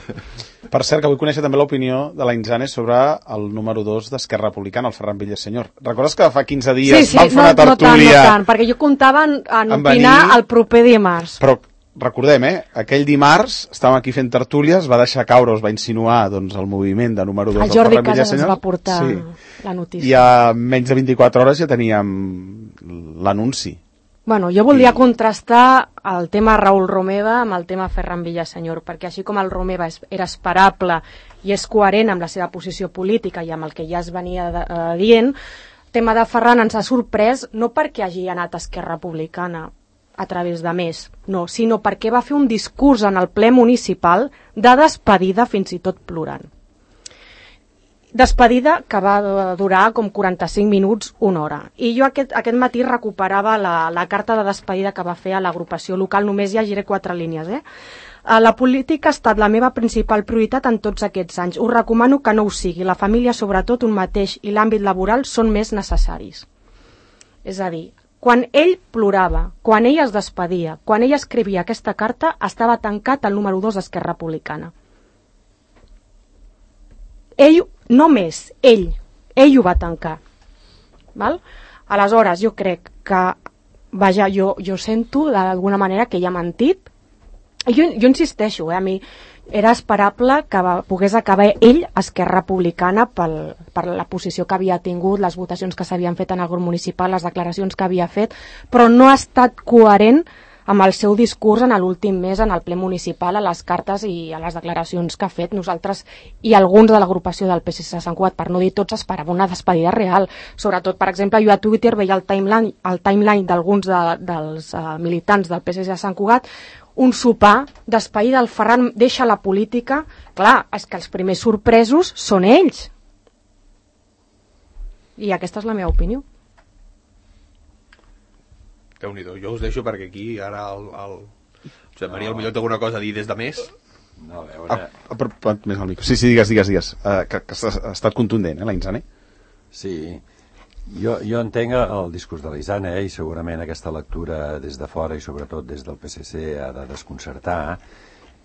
Per cert, que vull conèixer també l'opinió de la Inzane sobre el número dos d'Esquerra Republicana, el Ferran Villasenyor. Recordes que fa quinze dies sí, sí, vam fer no, una tertúlia... No tant, no tant, perquè jo comptava en, en opinar venir... el proper dimarts. Però recordem, eh, aquell dimarts estàvem aquí fent tertúlies, va deixar caure, es va insinuar doncs, el moviment de número dos del Ferran Villasenyor. El Jordi Casas ens va portar sí. la notícia. I a menys de vint-i-quatre hores ja teníem l'anunci. Bueno, jo voldria contrastar el tema Raül Romeva amb el tema Ferran Villasenyor, perquè així com el Romeva era esperable i és coherent amb la seva posició política i amb el que ja es venia de, uh, dient, el tema de Ferran ens ha sorprès no perquè hagi anat a Esquerra Republicana a través de més, no, sinó perquè va fer un discurs en el ple municipal de despedida, fins i tot plorant. Despedida que va durar com quaranta-cinc minuts, una hora. I jo aquest, aquest matí recuperava la, la carta de despedida que va fer a l'agrupació local, només llegiré quatre línies. Eh? La política ha estat la meva principal prioritat en tots aquests anys. Us recomano que no ho sigui. La família, sobretot, un mateix, i l'àmbit laboral són més necessaris. És a dir, quan ell plorava, quan ell es despedia, quan ell escrivia aquesta carta, estava tancat el número dos d'Esquerra Republicana. Ell, només ell, ell ho va tancar. Val? Aleshores, jo crec que, vaja, jo, jo sento d'alguna manera que ell ha mentit. I jo, jo insisteixo, eh, a mi era esperable que va, pogués acabar ell a Esquerra Republicana pel, per la posició que havia tingut, les votacions que s'havien fet en el grup municipal, les declaracions que havia fet, però no ha estat coherent amb el seu discurs en l'últim mes en el ple municipal, a les cartes i a les declaracions que ha fet. Nosaltres i alguns de l'agrupació del P S C de Sant Cugat, per no dir tots, esperava una despedida real. Sobretot, per exemple, jo a Twitter veia el timeline, el timeline d'alguns de, dels uh, militants del P S C de Sant Cugat, un sopar, despedida del Ferran, deixa la política. Clar, és que els primers sorpresos són ells. I aquesta és la meva opinió. Déu-n'hi-do, jo us deixo perquè aquí ara el, el... Josep Maria, potser té alguna cosa a dir des de més? No, a veure... Ah, ah, però, però, més al micro. Sí, sí, digues, digues, digues. Uh, que, que ha estat contundent, eh, la Inzane? Sí, jo, jo entenc el discurs de la Inzane, eh, i segurament aquesta lectura des de fora i sobretot des del P S C ha de desconcertar,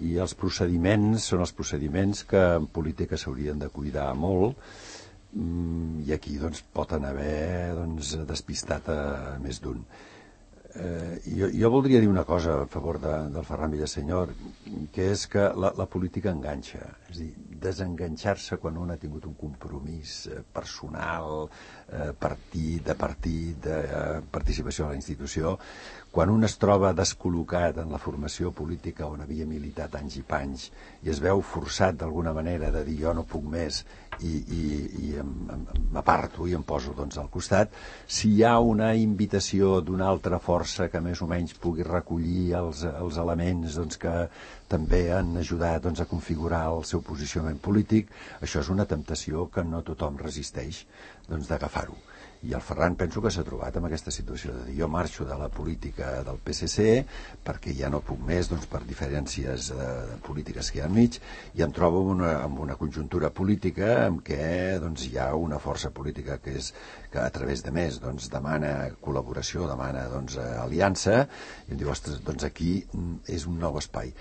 i els procediments són els procediments que en política s'haurien de cuidar molt, i aquí doncs, pot haver doncs, despistat a més d'un. Eh, jo, jo voldria dir una cosa a favor de, del Ferran Villasenyor, que és que la, la política enganxa, és a dir, desenganxar-se quan un ha tingut un compromís eh, personal, eh, partit, de partit, de eh, participació a la institució, quan un es troba descol·locat en la formació política on havia militat anys i panys i es veu forçat d'alguna manera de dir jo no puc més i, i, i m'aparto i em poso doncs, al costat, si hi ha una invitació d'una altra força que més o menys pugui recollir els, els elements doncs, que també han ajudat doncs, a configurar el seu posicionament polític, això és una temptació que no tothom resisteix doncs, d'agafar-ho. I el Ferran penso que s'ha trobat amb aquesta situació de dir jo marxo de la política del P S C perquè ja no puc més doncs, per diferències eh, polítiques que hi ha enmig i em trobo en una, en una conjuntura política en què doncs, hi ha una força política que, és, que a través de més doncs, demana col·laboració, demana doncs, aliança i em diu, ostres, doncs aquí és un nou espai.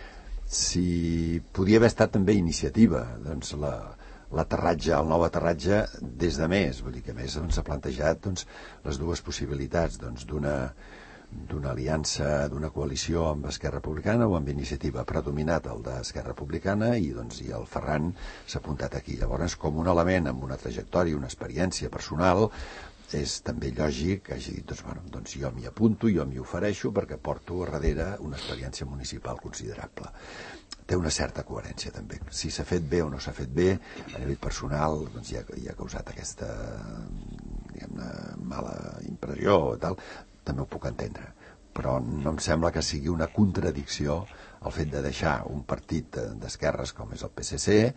Si podia haver estat també iniciativa, doncs la l'aterratge, el nou aterratge des de més, vull dir que a més doncs, s'ha plantejat doncs, les dues possibilitats doncs, d'una d'una aliança, d'una coalició amb Esquerra Republicana o amb Iniciativa, predominat el d'Esquerra Republicana i, doncs, i el Ferran s'ha apuntat aquí. Llavors, com un element amb una trajectòria, una experiència personal, és també lògic que hagi dit, doncs, bueno, doncs jo m'hi apunto, jo m'hi ofereixo perquè porto a darrere una experiència municipal considerable. Té una certa coherència també. Si s'ha fet bé o no s'ha fet bé, a nivell personal doncs, ja, ja ha causat aquesta diguem-ne, mala impressió o tal, també ho puc entendre, però no em sembla que sigui una contradicció el fet de deixar un partit d'esquerres com és el P S C eh,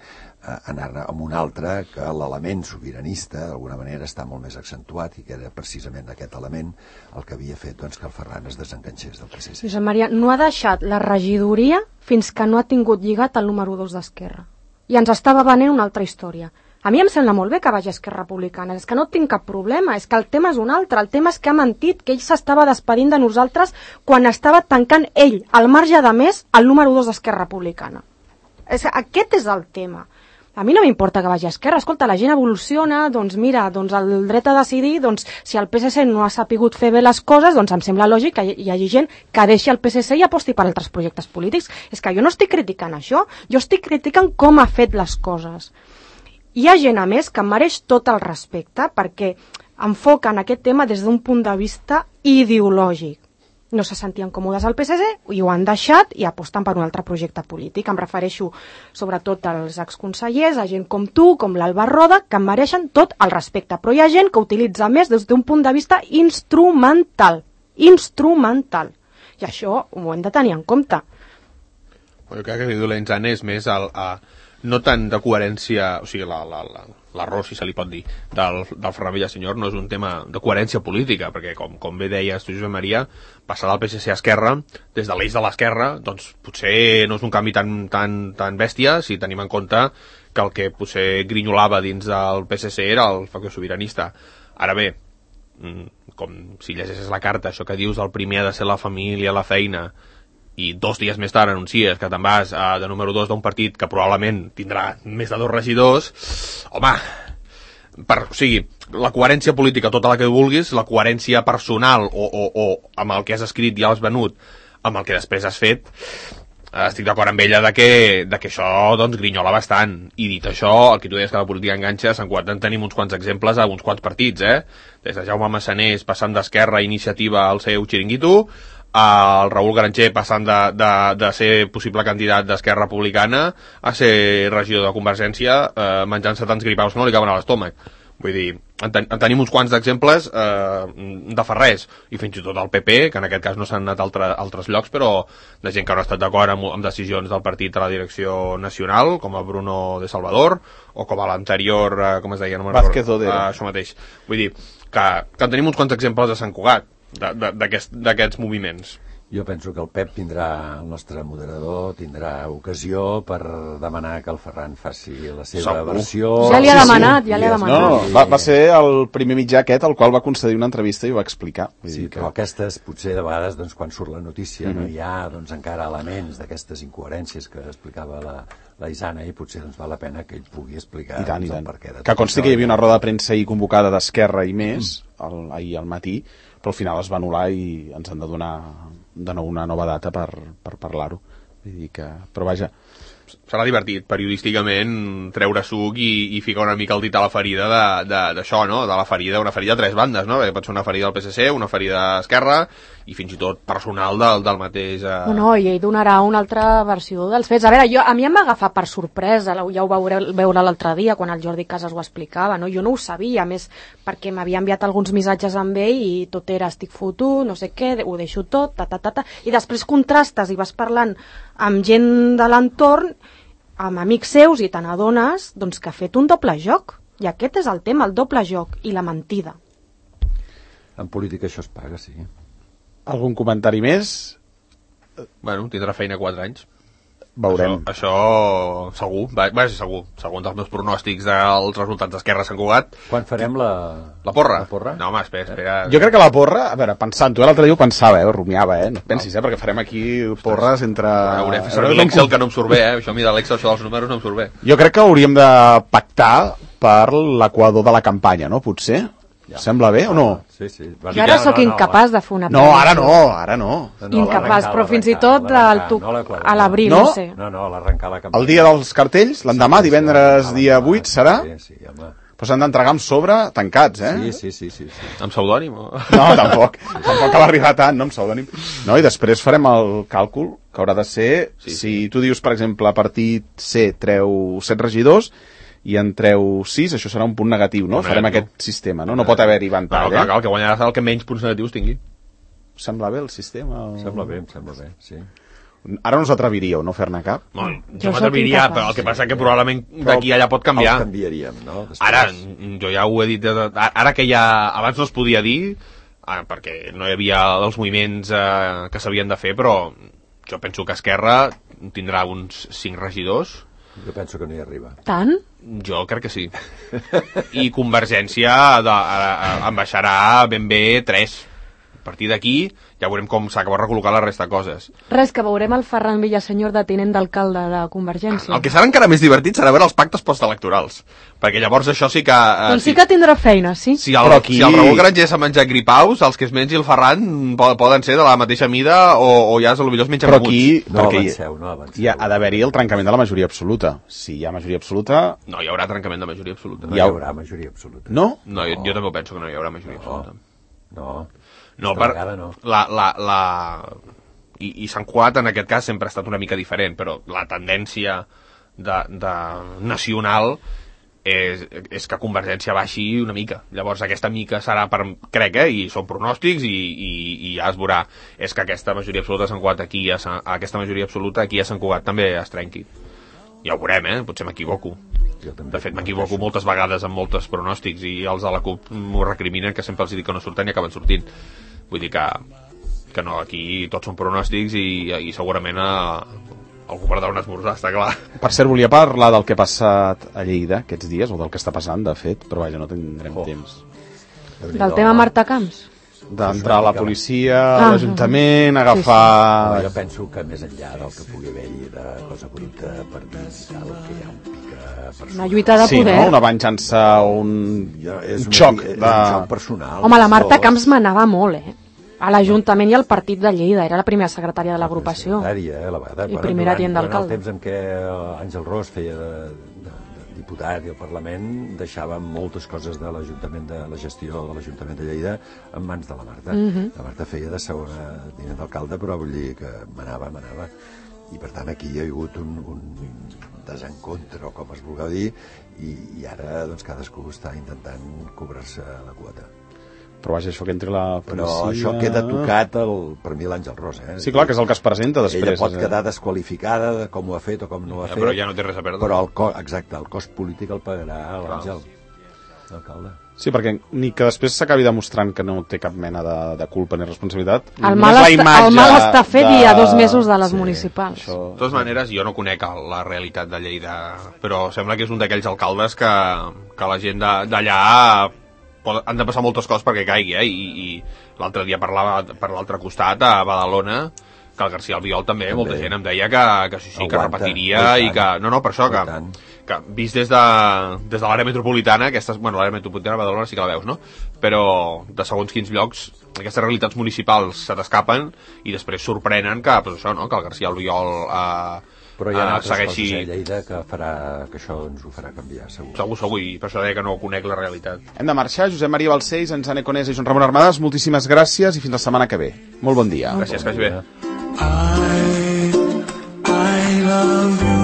anar amb un altre que l'element sobiranista d'alguna manera està molt més accentuat i que era precisament aquest element el que havia fet doncs, que el Ferran es desenganxés del P S C. Josep Maria, no ha deixat la regidoria fins que no ha tingut lligat el número dos d'Esquerra i ens estava venent una altra història. A mi em sembla molt bé que vagi a Esquerra Republicana, és que no tinc cap problema, és que el tema és un altre, el tema és que ha mentit, que ell s'estava despedint de nosaltres quan estava tancant ell, al marge de més, el número dos d'Esquerra Republicana. És, aquest és el tema. A mi no m'importa que vagi a Esquerra, escolta, la gent evoluciona, doncs mira, doncs el dret a decidir, doncs si el P S C no ha sapigut fer bé les coses, doncs em sembla lògic que hi hagi gent que deixi el P S C i aposti per altres projectes polítics. És que jo no estic criticant això, jo estic criticant com ha fet les coses. Hi ha gent, a més, que mereix tot el respecte perquè enfoquen aquest tema des d'un punt de vista ideològic. No se sentien còmodes al P S C i ho han deixat i aposten per un altre projecte polític. Em refereixo sobretot als exconsellers, a gent com tu, com l'Alba Roda, que mereixen tot el respecte. Però hi ha gent que utilitza més des d'un punt de vista instrumental. Instrumental. I això ho hem de tenir en compte. Jo crec que l'Idolenzant és més el... A... no tant de coherència, o sigui, l'error, si se li pot dir, del, del Ferran Villasenyor no és un tema de coherència política, perquè com, com bé deies tu, Josep Maria, passar del P S C a Esquerra, des de l'eix de l'Esquerra, doncs potser no és un canvi tan, tan, tan bèstia, si tenim en compte que el que potser grinyolava dins del P S C era el factor sobiranista. Ara bé, com si llegeixes la carta, això que dius del primer ha de ser la família, la feina, i dos dies més tard anuncies que te'n vas a, de número dos d'un partit que probablement tindrà més de dos regidors, home, per, o sigui, la coherència política, tota la que vulguis, la coherència personal o, o, o amb el que has escrit i ja has venut, amb el que després has fet, estic d'acord amb ella de que, de que això doncs grinyola bastant. I dit això, el que tu deies que la política enganxa, se'n en tenim uns quants exemples a uns quants partits, eh? Des de Jaume Massanés passant d'Esquerra a Iniciativa al seu xiringuito, el Raül Garanger passant de, de, de ser possible candidat d'Esquerra Republicana a ser regidor de Convergència, eh, menjant-se tants gripaus que no li caben a l'estómac. Vull dir, en, ten, en tenim uns quants d'exemples eh, de fa res, i fins i tot el P P, que en aquest cas no s'han anat a altre, altres llocs, però de gent que no ha estat d'acord amb, amb decisions del partit a la direcció nacional, com el Bruno de Salvador, o com a l'anterior, eh, com es deia? No Vázquez Odero. Eh, això mateix. Vull dir, que, que en tenim uns quants exemples de Sant Cugat, d'aquests aquest, moviments. Jo penso que el Pep tindrà, el nostre moderador, tindrà ocasió per demanar que el Ferran faci la seva Segur. versió. Ja li ha Sí, demanat, sí. ja li ha demanat. No, no, va, va ser el primer mitjà aquest al qual va concedir una entrevista i ho va explicar. Vull Sí, dir que... però aquestes, potser de vegades, doncs, quan surt la notícia, Mm-hmm. no hi ha doncs, encara elements d'aquestes incoherències que explicava la, la Isana, i potser doncs, val la pena que ell pugui explicar I tant, i doncs, tant. el perquè de Que tot consti això. que hi havia una roda de premsa ahir convocada d'Esquerra i més, el, ahir al matí, però al final es va anul·lar i ens han de donar de nou una nova data per, per parlar-ho. Vull dir que... Però vaja... Serà divertit, periodísticament, treure suc i, i ficar una mica el dit a la ferida d'això, no? De la ferida, una ferida a tres bandes, no? Pot ser una ferida del P S C, una ferida d'Esquerra i fins i tot personal del, del mateix... Eh... No, no, i ell donarà una altra versió dels fets. A veure, jo, a mi em va agafar per sorpresa, ja ho veure, veure l'altre dia quan el Jordi Casas ho explicava, no? Jo no ho sabia, a més, perquè m'havia enviat alguns missatges amb ell i tot era estic fotut, no sé què, ho deixo tot, ta, ta, ta, ta, i després contrastes i vas parlant amb gent de l'entorn, amb amics seus, i te n'adones doncs, que ha fet un doble joc. I aquest és el tema, el doble joc i la mentida. En política això es paga, sí. Algun comentari més? Bueno, tindrà feina quatre anys. veurem. Això, això segur, va, va ser segur. Segons els meus pronòstics dels resultats d'Esquerra Sant Cugat. Quan farem la... La porra? La porra? No, home, espera, espera. Jo crec que la porra, a veure, pensant-ho, l'altre dia ho pensava, eh, ho rumiava, eh, no et pensis, eh, perquè farem aquí porres entre... Hauré de fer servir l'Excel que no em surt bé, eh, això a mi de l'Excel, això dels números no em surt bé. Jo crec que hauríem de pactar per l'equador de la campanya, no? Potser? Ja. Sembla bé o no? Sí, sí. Jo ara sóc incapaç de fer una No, ara no, ara no. Incapaç, però fins i tot a l'abril, no sé. No, no, l'arrencar la campanya. El dia dels cartells, l'endemà, divendres, dia vuit, serà? Sí, sí, home. Però s'han d'entregar amb sobre, tancats, eh? Sí, sí, sí, sí, sí. Amb pseudònim? O... No, tampoc. Tampoc cal arribar tant, no, amb pseudònim. No, i després farem el càlcul, que haurà de ser, sí, si sí. Tu dius, per exemple, partit C treu set regidors, i en treu sis, això serà un punt negatiu, no? Farem aquest sistema, no? No pot haver-hi ventall, eh? El que guanyarà serà el que menys punts negatius tingui. Sembla bé el sistema? O... Sembla bé, em sembla bé, sí. Ara no us atreviríeu, no, fer-ne cap? No, jo m'atreviria, però el que passa que probablement d'aquí allà pot canviar. El canviaríem, no? Després... Ara, jo ja ho he dit, ara que ja abans no es podia dir, perquè no hi havia els moviments eh, que s'havien de fer, però jo penso que Esquerra tindrà uns cinc regidors. Jo penso que no hi arriba. Tant? Jo crec que sí. I Convergència de, a, a, en baixarà ben bé tres. A partir d'aquí ja veurem com s'acaba recol·locar la resta de coses. Res, que veurem el Ferran Villasenyor de tinent d'alcalde de Convergència. El que serà encara més divertit serà veure els pactes postelectorals. Perquè llavors això sí que... Eh, doncs sí que tindrà feina, sí. Si el, aquí... si el Raül Granger s'ha menjat gripaus, els que es mengi el Ferran poden ser de la mateixa mida o, o ja potser es mengen però aquí, no perquè avanceu, no avanceu. Hi ha, ha d'haver-hi el trencament de la majoria absoluta. Si hi ha majoria absoluta... No hi haurà trencament de majoria absoluta. No hi haurà majoria absoluta. No? No, jo, jo també penso que no hi haurà majoria no. absoluta. No. No, per, no. La, la, la... I, i Sant Cugat en aquest cas sempre ha estat una mica diferent, però la tendència de, de nacional és, és que Convergència baixi una mica. Llavors aquesta mica serà per, crec, eh, i són pronòstics i, i, i ja es veurà, és que aquesta majoria absoluta a Sant Cugat aquí, a Sant, aquesta majoria absoluta aquí a Sant Cugat també es trenqui. Ja ho veurem, eh? Potser m'equivoco. De fet, m'equivoco moltes vegades amb molts pronòstics i els de la CUP m'ho recriminen, que sempre els dic que no surten i acaben sortint. Vull dir que, que no, aquí tots són pronòstics i, i segurament a, algú per dar un esmorzar, està clar. Per cert, volia parlar del que ha passat a Lleida aquests dies, o del que està passant, de fet, però vaja, no tindrem oh. temps. Del tema Marta Camps? D'entrar a la policia, a ah, l'Ajuntament, agafar... Sí, sí. Jo penso que més enllà del que pugui haver-hi de cosa bruta per dir tal, que hi ha un pica personal. Una lluita de sí, poder. Sí, no? Una venjança, un, ja, és un xoc. És de... un xoc personal. Home, la Marta Camps manava molt, eh? A l'Ajuntament i al partit de Lleida. Era la primera secretària de l'agrupació. Secretària, eh, la vegada. I primera tient d'alcalde. En el temps en què Àngel Ros feia de, de, de diputat i el Parlament deixava moltes coses de l'Ajuntament, de la gestió de l'Ajuntament de Lleida en mans de la Marta. Mm -hmm. La Marta feia de segona tinent d'alcalde, però vull dir que manava, manava. I per tant aquí hi ha hagut un, un desencontre, o com es vulgui dir, i, i ara doncs cadascú està intentant cobrar-se la quota. Però vaja, això que entri la policia... Però això queda tocat el, per mi l'Àngel Ros, eh? Sí, clar, que és el que es presenta després. Ella pot quedar desqualificada de com ho ha fet o com no ho ha ja, fet. Però ja no té res a perdre. Però el cost, exacte, el cost polític el pagarà l'Àngel, l'alcalde. Sí, perquè ni que després s'acabi demostrant que no té cap mena de, de culpa ni responsabilitat. El mal, està, el mal està fet de... i a dos mesos de les sí, municipals. Això... De totes maneres, jo no conec la realitat de Lleida, però sembla que és un d'aquells alcaldes que, que la gent d'allà... han de passar moltes coses perquè caigui, eh? I, i l'altre dia parlava per l'altre costat, a Badalona, que el García Albiol també, també. Molta gent em deia que, que sí, sí, que aguanta, repetiria i que... No, no, per això, que, que vist des de, des de l'àrea metropolitana, aquestes, bueno, l'àrea metropolitana de Badalona sí que la veus, no? Però de segons quins llocs, aquestes realitats municipals se t'escapen i després sorprenen que, pues això, no?, que el García Albiol... Eh, però hi ha altres segueixi... coses a Lleida que, farà, que això ens ho farà canviar, segur. Segur, segur, i per això deia que no conec la realitat. Hem de marxar. Josep Maria Balcells, Enzane Conesa i Joan Ramon Armadas, moltíssimes gràcies i fins la setmana que ve. Molt bon dia. Gràcies, que vagi bé. I, I love you.